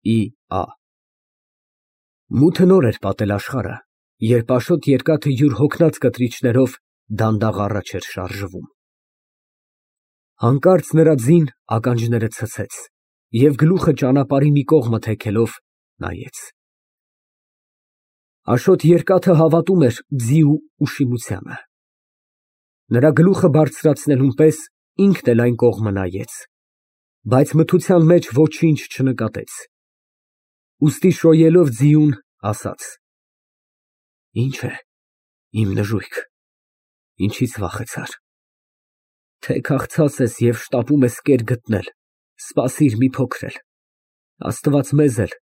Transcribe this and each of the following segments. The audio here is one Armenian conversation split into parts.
Ի.Ա. Մութը նոր էր պատել աշխարհը, երբ Աշոտ Երկաթը յուր հոգնած կտրիչներով դանդաղ առաջ էր շարժվում։ Հանկարծ նրա ձին ականջները ցցեց և գլուխը ճանապարհի մի կողմը թեքելով նայեց։ Աշոտ Երկաթը հավատում էր ձի ուշիմությանը։ Նրա գլուխը բարձրացնելուն պես ինքն էլ այն կողմը նայեց, բայց մթության մեջ ոչինչ չնկատեց, ուստի շոյելով ձիուն, ասաց. Ինչ է, իմ նժույգ, ինչից վախեցար, թե քաղցած ես և շտապում ես կեր գտնել, սպասիր մի փոքր էլ, Աստված մեզ էլ,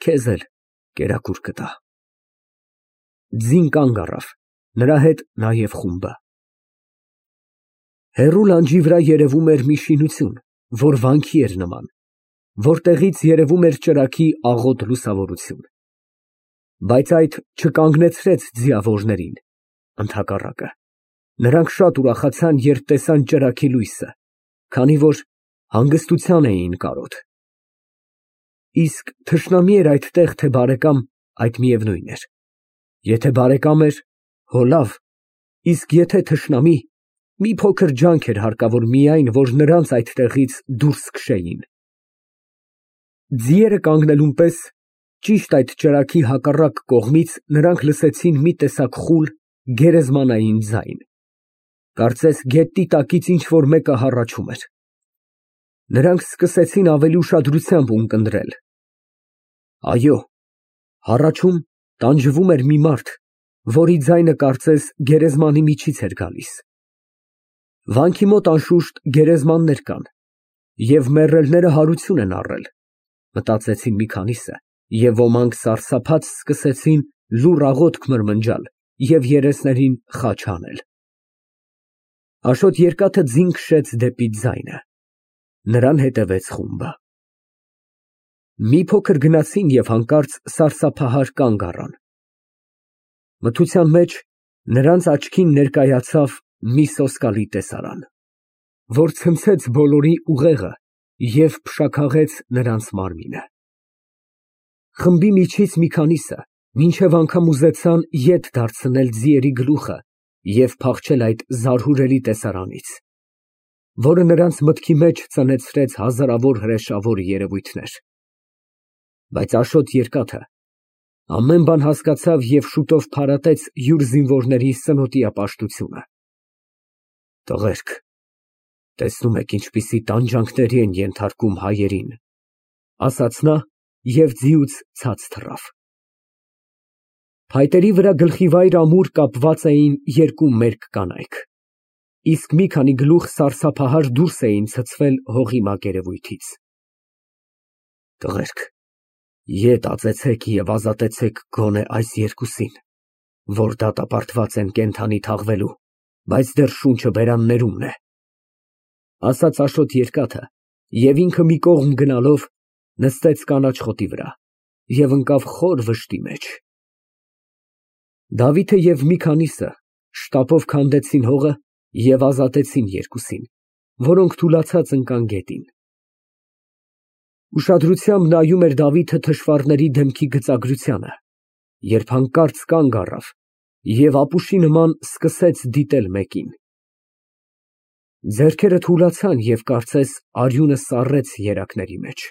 քեզ էլ կերակուր կտա։ Ձին կանգ առավ, նրա հետ նաև խումբը։ Հեռու լանջի վրա երևում էր մի շինություն, որ վանքի էր նման, որտեղից երևում էր ճրագի աղոտ լուսավորություն, բայց այդ չկանգնեցրեց ձիավորներին, ընդհակառակը, նրանք շատ ուրախացան, երբ տեսան ճրագի լույսը, քանի որ հանգստության էին կարոտ։ Իսկ թշնամի էր այդտեղ, թե բարեկամ, այդ միևնույն էր, եթե բարեկամ էր, հո լավ, իսկ եթե թշնամի, մի փոքր ջանք էր հարկավոր միայն, որ նրանց այդտեղից դուրս քշեին։ Ձիերը կանգնելուն պես ճիշտ այդ ճրագի հակառակ կողմից նրանք լսեցին մի տեսակ խուլ, գերեզմանային ձայն, կարծես գետնի տակից ինչ֊որ մեկը հառաչում էր։ Նրանք սկսեցին ավելի ուշադրությամբ ունկնդրել։ Այո, հառաչում, տանջվում էր մի մարդ, որի ձայնը կարծես գերեզմանի միջից էր գալիս։ Վանքի մոտ անշուշտ գերեզմաններ կան, և մեռելները հարություն են առել, մտածեցին մի քանիսը, և ոմանք սարսափած սկսեցին լուռ աղոթք մրմնջալ և երեսներին խաչ հանել։ Աշոտ Երկաթը ձին քշեց դեպի ձայնը, նրան հետևեց խումբը։ Մի փոքր գնացին և հանկարծ սարսափահար կանգ առան։ Մթության մեջ նրանց աչքին ներկայացավ մի սոսկալի տեսարան, որ ցնցեց բոլորի ուղեղը և փշաքաղեց նրանց մարմինը։ Խմբի միջից մի քանիսը մինչև անգամ ուզեցան ետ դարձնել ձիերի գլուխը և փախչել այդ զարհուրելի տեսարանից, որը նրանց մտքի մեջ ծնեցրեց հազարավոր հրեշավոր երևույթներ։ Բայց Աշոտ Երկաթը ամեն բան հասկացավ և շուտով փարատեց յուր զինվորների սնոտիա պաշտությունը։ Տղերք, տեսնում եք ինչպիսի տանջանքների են ենթարկում հայերին, ասաց նա և ձիուց ցած թռավ։ Փայտերի վրա գլխիվայր ամուր կապված էին երկու մերկ կանայք, իսկ մի քանի գլուխ սարսափահար դուրս էին ցցվել հողի մակերևույթից։ Տղերք, ետ ածեցեք և ազատեցեք գոնե այս երկուսին, որ դատապարտված են կենդանի թաղվելու, բայց դեռ շունչը բերաններումն է, ասաց Աշոտ Երկաթը և ինքը մի կողմ գնալով նստեց կանաչ խոտի վրա և ընկավ խոր վշտի մեջ։ Դավիթը և մի քանիսը շտապով քանդեցին հողը և ազատեցին երկուսին, որոնք թուլացած ընկան գետին։ Ուշադրությամբ նայում էր Դավիթը թշվառների դեմքի գծագրությանը, երբ հանկարծ կանգ առավ և ապուշի նման սկսեց դիտել մեկին։ Ձեռքերը թուլացան և կարծես արյունը սառեց երակների մեջ։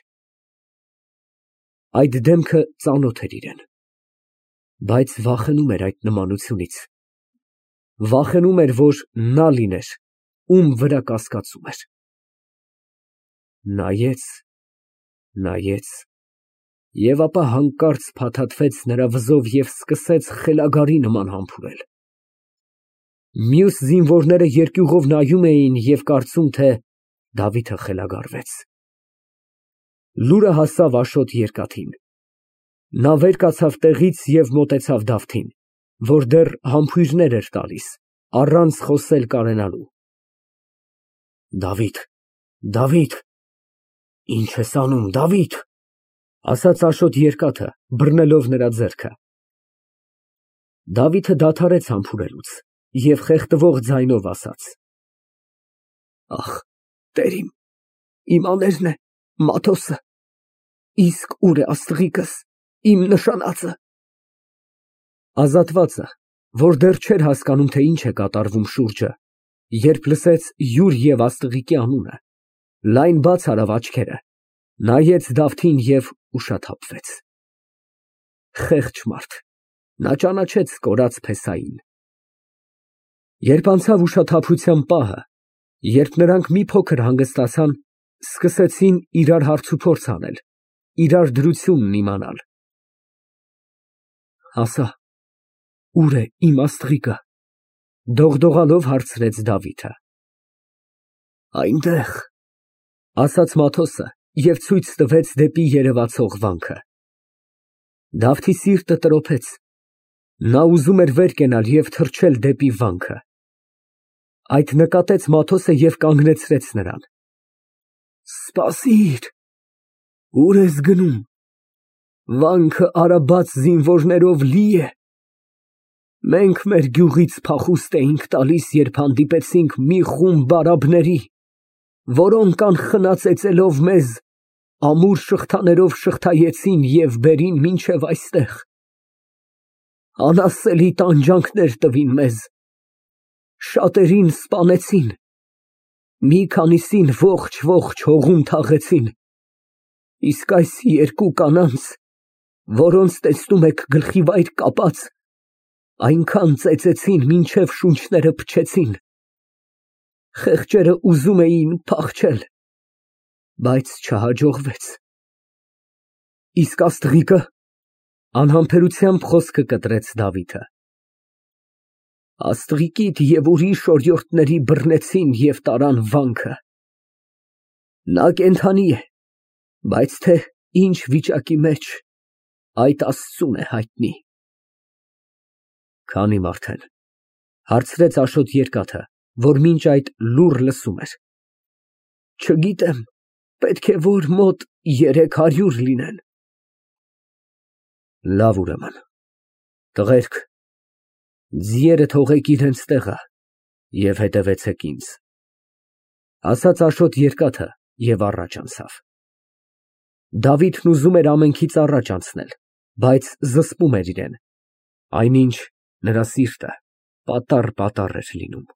Այդ դեմքը ծանոթ էր իրան, բայց վախենում էր այդ նմանությունից, վախենում էր, որ նա լիներ, ում վրա կասկածում էր։ Նայեց, նայեց և ապա հանկարծ փաթաթվեց նրա վզով և սկսեց խելագարի նման համբուրել։ Մյուս զինվորները երկյուղով նայում էին և կարծում, թե Դավիթը խելագարվեց։ Լուրը հասավ Աշոտ Երկաթին։ Նա վեր կացավ տեղից և մոտեցավ Դավթին, որ դեռ համբույրներ էր տալիս, առանց խոսել կարենալու։ Դավիթ, ի՞նչ ես անում, Դավիթ, ասաց Աշոտ Երկաթը, բռնելով նրա ձեռքը։ Դավիթը դադարեց համբուրելուց և խեղդվող ձայնով ասաց. Ախ, Տեր իմ, իմ աներն է, Մաթոսը։ Իսկ ուր է աստղիկս, իմ նշանածը։ Ազատվածը, որ դեռ չէր հասկանում, թե ինչ է կատարվում շուրջը, երբ լսեց յուր և աստղիկի անունը, լայն բաց արավ աչքերը, նայեց Դավթին և ուշաթափվեց։ Խեղճ մարդ, նա ճանաչեց կորած փեսային։ Երբ անցավ ուշաթափության պահը, երբ նրանք մի փոքր հանգստացան, սկսեցին իրար հարցուփորձ անել, իրար դրությունն իմանալ։ Ասա, ուր է իմ աստղիկը, դողդողալով հարցրեց Դավիթը։ Այնտեղ, ասաց Մաթոսը և ցույց տվեց դեպի երևացող վանքը։ Դավթի սիրտը տրոփեց, նա ուզում էր վեր կենալ և թռչել դեպի վանքը։ Այդ նկատեց Մաթոսը և կանգնեցրեց նրան։ Սպասիր, ուր ես գնում, վանքը արաբաց զինվորներով լի է։ Մենք մեր գյուղից փախուստ էինք տալիս, երբ հանդիպեցինք մի խումբ արաբների, որոնք անխնա ծեծելով մեզ, ամուր շղթաներով շղթայեցին և բերին մինչև այստեղ, անասելի տանջանքներ տվին մեզ, շատերին սպանեցին, մի քանիսին ողջ հողում թաղեցին, իսկ այս երկու կանանց, որոնց տեսնում եք գլխիվայր կապած, այնքան ծեծեցին, մինչև շունչները փչեցին, խեղճերը ուզում էին փախչել, բայց չհաջողվեց։ Իսկ աստղիկը, անհամբերությամբ խոսքը կտրեց Դավիթը։ Աստղիկիդ և ուրիշ օրիորդների բռնեցին և տարան վանքը։ Նա կենդանի է, բայց թե ինչ վիճակի մեջ, այդ Աստծուն է հայտնի։ Քանի՞ մարդ են, հարցրեց Աշոտ Երկաթը, որ մինչ այդ լուռ լսում էր։ Չգիտեմ, պետք է որ մոտ 300 լինեն։ Լավ, ուրեմն, տղերք, ձիերը թողեք իրենց տեղը և հետևեցեք ինձ, ասաց Աշոտ Երկաթը և առաջ անցավ։ Դավիթն ուզում էր ամենքից առաջ անցնել, բայց զսպում էր իրեն, այնինչ նրա սիրտը պատառ էր լինում։